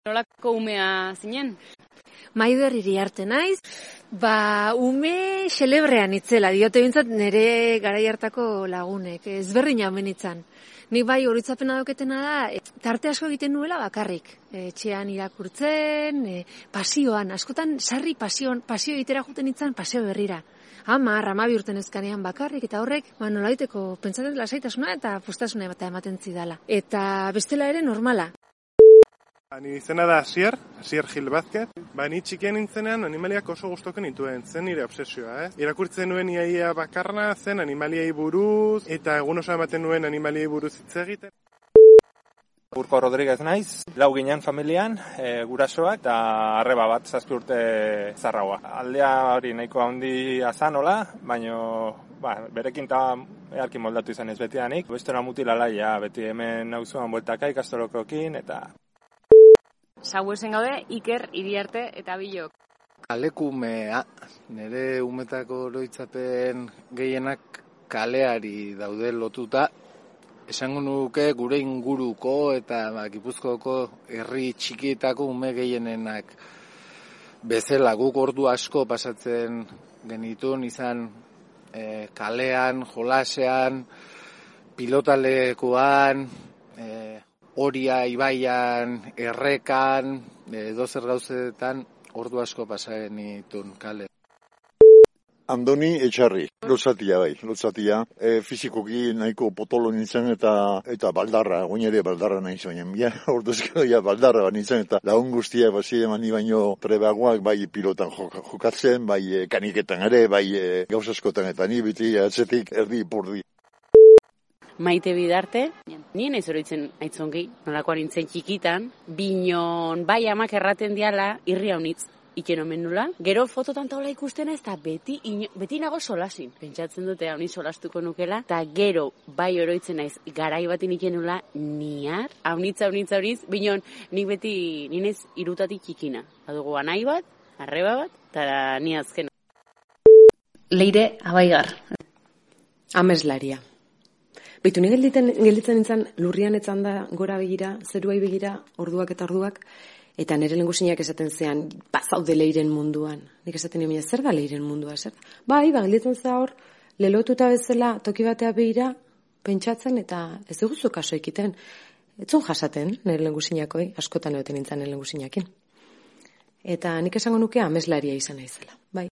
Nolako umea zinen? Maider Iriarte naiz, ume xelebrean itzela, diote bintzat nire garai hartako lagunek, ezberdina omen itzan. Nik bai horitzapena dauketena da, tarte asko egiten nuela bakarrik. Etxean irakurtzen, pasioan, askotan sarri pasio egitera juten itzan paseo berrira. 10-12 urten ezkanean bakarrik, eta horrek, nolaiteko pentsatzen lasaitasuna eta postasuna ematen zidala. Eta bestela ere normala. Ni izena da Asier Gil Vázquez. Ni txikian nintzenean animaliak oso gustuko nituen, zen nire obsesioa, Irakurtzen nuen iaia bakarna, zen animaliei buruz, eta egun oso ematen nuen animaliei buruz hitz egiten. Urko Rodríguez naiz, 4 ginen familian, gurasoak, eta arreba bat 7 urte zarraua. Aldea hori nahiko handi azanola, baino berekin eta earkin moldatu izan ez betianik. Bestera mutilalaia, beti hemen nauzuan bueltaka ikastolokokin, eta... Sauesen gaude, Iker, Iriarte eta Bilok. Kalekumea, nire umetako oroitzapen gehienak kaleari daude lotuta. Esango nuke gure inguruko eta Gipuzkoako herri txikietako ume gehienenak bezala guk ordu asko pasatzen genituen izan kalean, jolasean, pilotalekuan, Oria, ibaian, errekan, edozer gauzetan ordu asko pasa genituen kale. Andoni Etxarri, lotzatia, fizikoki nahiko potolo nintzen eta baldarra, goin ere baldarra nahi zoinen, orduzko baldarra nintzen eta lagun guztia basi emani baino trebagoak bai pilotan jokatzen, bai kaniketan ere, bai gauzaskotan eta ni biti atzetik erdi ipurdi. Maite Bidarte, nien ez oroitzen aitzongi, nolakoan nintzen txikitan, binon bai amak erraten diala irri haunitz. Iken omen nula. Gero fototan taula ikusten ez, eta beti nago solasin. Pentsatzen dute haunitz solastuko nukela, eta gero bai oroitzen naiz garai batin iken nula niar, haunitz, binon nik beti ninez irutatik txikina. Badugu anai bat, arreba bat, eta ni azkena. Leire Abaigar. Ameslaria. Beitu, ni gelditzen nintzen lurrian etzan da gora begira, zeruai begira, orduak, eta nire lengusinak esaten zean, bazaude Leiren munduan. Nik esaten nire, zer da Leiren mundua, zer? Gelditzen za hor, lelotuta bezala toki batea begira, pentsatzen, eta ez duguzu kaso ekiten. Etzun jasaten, nire lengusinakoi, askotan egoten nintzen nire lengusinakin. Eta nik esango nuke ameslaria izan naizela, bai.